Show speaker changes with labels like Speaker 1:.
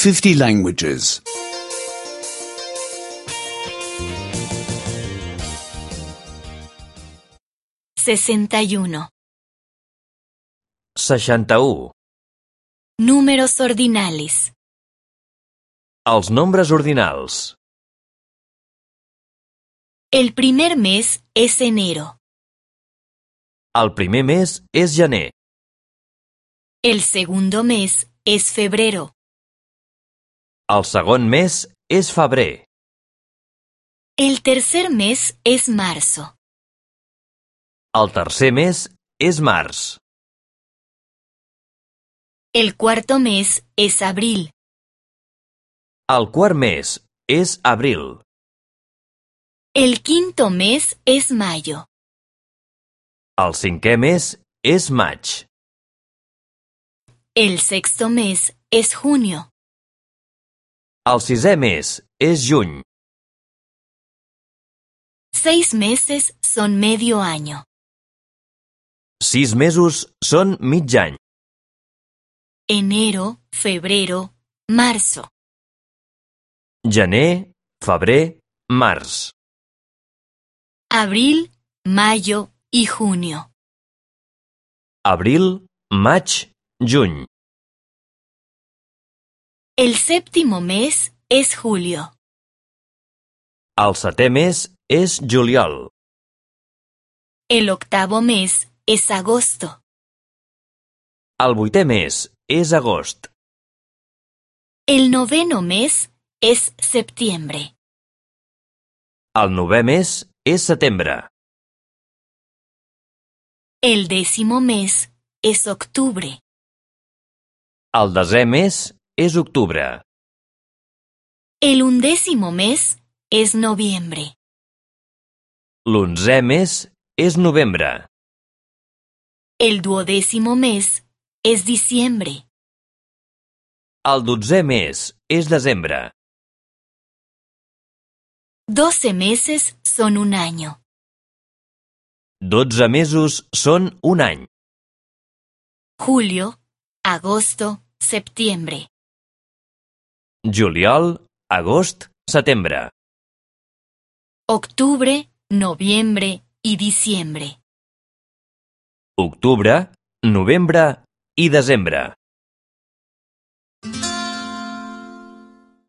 Speaker 1: 50 languages.
Speaker 2: 61.
Speaker 3: 61.
Speaker 2: Números ordinales.
Speaker 3: Els nombres ordinals.
Speaker 2: El primer mes es enero.
Speaker 3: El primer mes és gener.
Speaker 2: El segundo mes es febrero.
Speaker 3: El segon mes és febrer.
Speaker 2: El tercer mes es marzo.
Speaker 3: El tercer mes és març.
Speaker 2: El cuarto mes es abril.
Speaker 3: El quart mes és abril.
Speaker 2: El quinto mes es mayo.
Speaker 3: El cinquè mes és maig.
Speaker 2: El sexto mes es junio.
Speaker 3: El sisè mes és juny.
Speaker 2: 6 meses son medio año.
Speaker 3: 6 mesos són mig any.
Speaker 2: Enero, febrero, marzo.
Speaker 3: Gener, febrer, març.
Speaker 2: Abril, mayo y junio.
Speaker 3: Abril, maig, juny.
Speaker 2: El séptimo mes es julio.
Speaker 3: El setè mes és juliol.
Speaker 2: El octavo mes es agosto.
Speaker 3: El vuitè mes és agost.
Speaker 2: El noveno mes es septiembre.
Speaker 3: El novè mes és setembre.
Speaker 2: El décimo mes es octubre.
Speaker 3: El desè mes és octubre.
Speaker 2: El undécimo mes es noviembre.
Speaker 3: L'onzè mes és novembre.
Speaker 2: El duodécimo mes es diciembre.
Speaker 3: El dotzè mes és desembre.
Speaker 2: 12 meses son un año.
Speaker 3: 12 mesos són un any.
Speaker 2: Julio, agosto, septiembre.
Speaker 3: Juliol, agost, setembre.
Speaker 2: Octubre, noviembre y diciembre.
Speaker 3: Octubre, novembre i desembre.